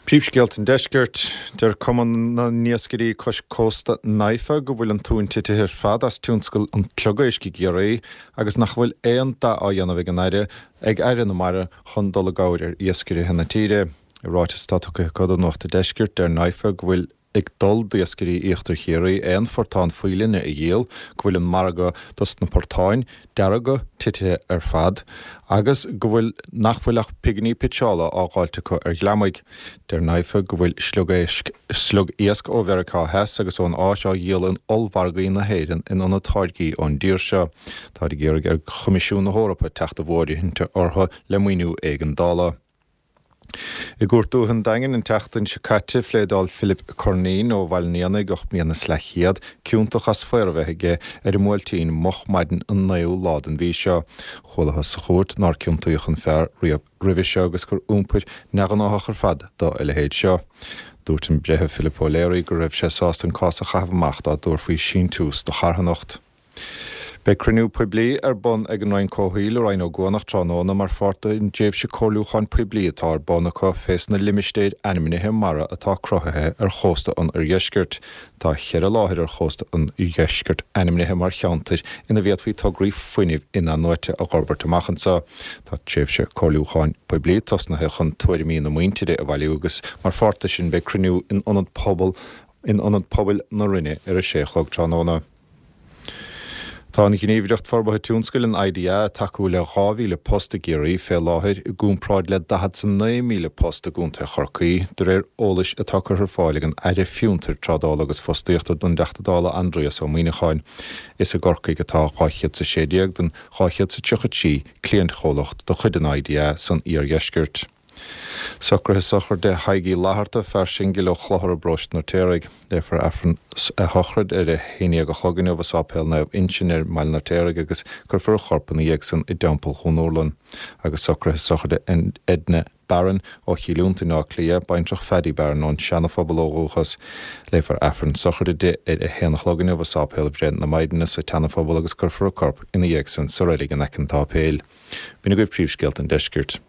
Príomhscéalta an Deiscirt, Deir Cumann na nIascairí Cois Cósta, NIFA, go bhfuil an tóin titithe ar fad as tionscal an tsliogaisc i gCiarraí agus nach bhfuil aon dath á dhéanamh ag an Aire ag Aire na Mara chun dul i gcabhair ar iascairithe na tíre. I ráiteas atá tugtha acu do Nuacht an Deiscirt, deir NIFA go bhfuil ag dul d'iascairí Íochtar Chiarraí aon phortán faoileanna a dhíol, go bhfuil an margadh dos na portáin dearga titithe ar fad agus go bhfuil nach bhfuil ach pinginí pitseála á dháilt acu ar ghliomaigh. Deir NIFA go bhfuil sliogéisc, sliog-iasc ó Mheiriceá Theas agus ón Áis á dhíol in ollmhargaí na hÉireann in ionad táirgí ón dtír seo. Táid ag iarraidh ar Choimisiún na hEorpa teacht i bhfóirithint orthu le maoiniú éigeandála. I gCúirt Dúiche an Daingin an tseachtain seo caite, phléadáil Philip Curneen ó Bhaile an Éanaigh, 8 mbliana is leathchéad, ciontach as faor a bheith aige ar an mBuailtín moch maidin an 9ú lá den mhí seo. Chualathas sa chúirt nár ciontaíodh an fear riamh roimhe seo agus gur iompar neamhghnáthach ar fad dá a leithéid seo. Dúirt an Breitheamh Philip O'Leary go raibh sé sásta an cás a chaitheamh amach dá dtabharfaí síntiús do charthanacht. Beidh cruinniú poiblí ar bun ag an Roinn Comhshaoil i Rinn Ó gCuanach tráthnóna mar pháirt den dtréimhse comhairliúcháin poiblí atá ar bun acu fés na limistéir ainmnithe mara atá cruthaithe ar chósta an oirdheiscirt. Tá cheithre láthair ar chósta an oirdheiscirt ainmnithe mar cheantair ina bhféadfaí tograí fuinnimh inathnuaite a dh'fhorbairt amach anseo. Tá tréimhse comhairliúcháin poiblí tosnaithe chun tuairimí na muintire a bhailiú agus mar pháirt de sin beidh cruinniú in Ionad Pobal in Ionad Pobail na Rinne ar a sé a chlog tráthnóna. Tá an Ghníomhaireacht Forbartha Tionscail, an IDA, ag tacú le 2,000 post i gCiarraí fé láthair, i gcomparáid le 49,000 post i gContae Chorcaí, de réir eolais atá curtha ar fáil ag an Aire Fiontair, Trádála agus Fostaíochta don dTeachta Dála Aindrias Ó Muíneacháin. Is i gCorcaigh atá 216 den 233 cliantchomhlacht de chuid an IDA san iardheisceart. Socruithe sochraide Thaidhg Uí Fhlatharta, fear singil ó Chlochar i bparóiste an Fheirtéaraigh. Léifear Aifreann a shochraid ar a 11 a chlog inniu i Sáipéal Naomh Uinseann ar mBaile an Fheirtéaraigh agus cuirfear a chorp ina dhiaidh san i dTeampall Dhún Urlann. Agus socruithe sochraide Edna Barron ó Chill Fhionntain, Áth Cliath, baintreach Phaddy Barron ón Seana-Phobal ó dhúchas. Léifear Aifreann sochraide di ar a haon a chlog inniu i Sáipéal Bhreith na Maighdine sa tSeana-Phobal agus cuirfear a corp ina dhiaidh san sa reilig in aice an tsáipéil. B'in agaibh príomhscéalta an deiscirt.